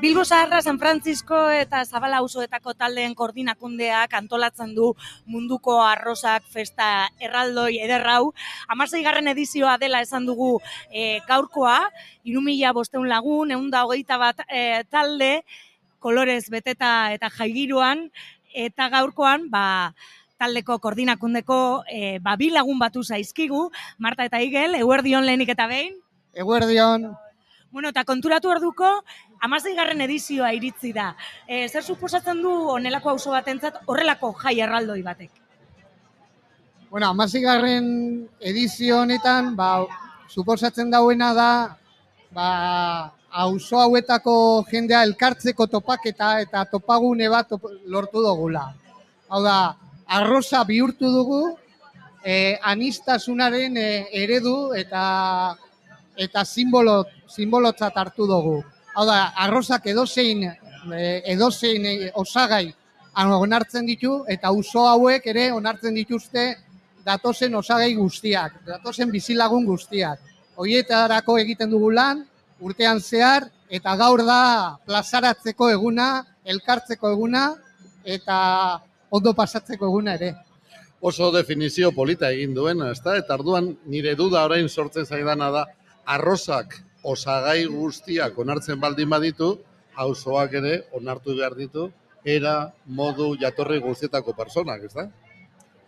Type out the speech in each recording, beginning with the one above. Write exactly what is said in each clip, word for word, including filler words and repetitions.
Bilbo Zaharra, San Francisco eta Zabala auzoetako taldeen koordinakundeak antolatzen du munduko arrosak festa erraldoi ederrau. Hamaseigarren edizioa dela esan dugu e, gaurkoa, hiru mila bostehun lagun, ehun eta hogeita bat e, talde, kolorez beteta eta jaigiruan, eta gaurkoan, ba, taldeko koordinakundeko e, ba, bi lagun batu zaizkigu, Marta eta Igel, eguerdion lehenik eta behin. Eguerdion. Bueno, eta konturatu orduko, hamaseigarren edizioa iritzi da. E, zer suposatzen du honelako auzo batentzat horrelako jai erraldoi batek? Bueno, hamaseigarren edizio honetan, ba, suposatzen dauena da, ba, auzo hauetako jendea elkartzeko topaketa eta topagune bat top, lortu dugula. Hau da, arroza bihurtu dugu, e, anistasunaren e, eredu eta eta simbolo, simbolotzat hartu dugu. Hau da, arrozak edozein, edozein osagai onartzen ditu, eta auzo hauek ere onartzen dituzte datozen osagai guztiak, datozen bizilagun guztiak. Horietarako egiten dugu lan, urtean zehar, eta gaur da plazaratzeko eguna, elkartzeko eguna, eta ondo pasatzeko eguna ere. Oso definizio polita egin duen, ezta? Eta arduan nire duda orain sortzen zaidana da, arrozak osagai guztiak onartzen baldin baditu, auzoak ere onartu behar ditu, era, modu, jatorri guztietako personak, ez da?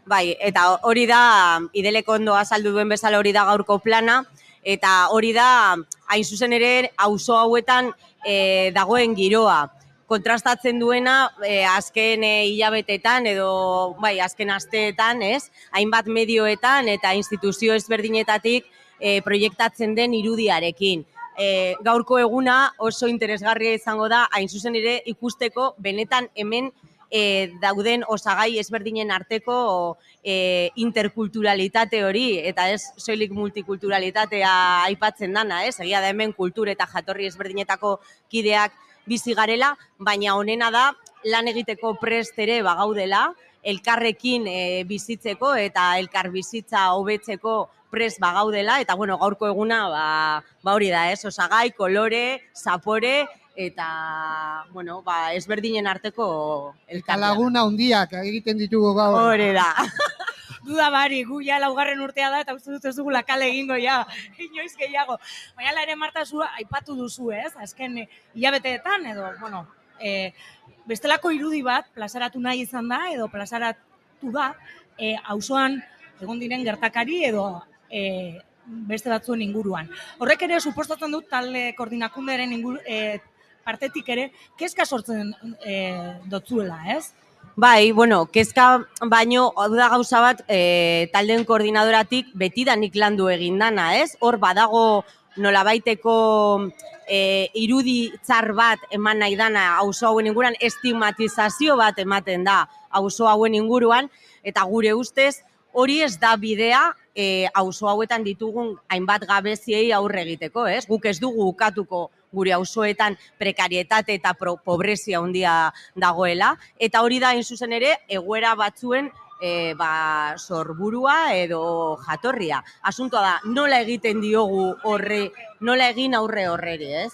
Bai, eta hori da, Idelek ondo azaldu duen bezala hori da gaurko plana, eta hori da, hain zuzen ere, auzo hauetan e, dagoen giroa. Kontrastatzen duena, e, azken e, hilabetetan edo, bai, azken asteetan, ez? Hainbat medioetan eta instituzio ezberdinetatik E, proiektatzen den irudiarekin. E, gaurko eguna oso interesgarria izango da, hain zuzen ere ikusteko benetan hemen e, dauden osagai ezberdinen arteko e, interkulturalitate hori, eta ez soilik multikulturalitatea aipatzen dana, ez? Egia da hemen kultur eta jatorri ezberdinetako kideak bizi garela, baina honena da lan egiteko prest ere bagaudela, elkarrekin e, bizitzeko eta elkar bizitza hobetzeko prest bagaudela, eta bueno, gaurko eguna ba, ba hori da, ez? Osagai, kolore, zapore, eta bueno, ba, ezberdinen arteko elkartea. Laguna handiak egiten ditugu gaur. Hori da. Duda bari, gu ja laugarren urtea da, eta uste dut ez dugu lakale egingo ja, inoiz gehiago. Baina ere Marta zu aipatu duzu, ez? Azken hilabeteetan edo, bueno, e, bestelako irudi bat plazaratu nahi izan da, edo plazaratu da, e, auzoan egon diren gertakari edo E, beste batzuen inguruan. Horrek ere suposatzen dut talde koordinakunderen inguru, e, partetik ere, kezka sortzen e, dotzuela, ez? Bai, bueno, kezka baino, da gauza bat, e, taldeen koordinadoratik betidanik landu egin dana, ez? Hor badago nolabaiteko e, irudi txar bat eman nahi dana auzo hauen inguruan, estigmatizazio bat ematen da auzo hauen inguruan, eta gure ustez, hori ez da bidea e, auzo hauetan ditugun hainbat gabeziei aurre egiteko, ez? Guk ez dugu ukatuko gure auzoetan prekarietate eta pro, pobrezia handia dagoela, eta hori da hain zuzen ere egoera batzuen e, ba, sorburua edo jatorria. Asuntoa da, nola egiten diogu horre, nola egin aurre horreri, ez?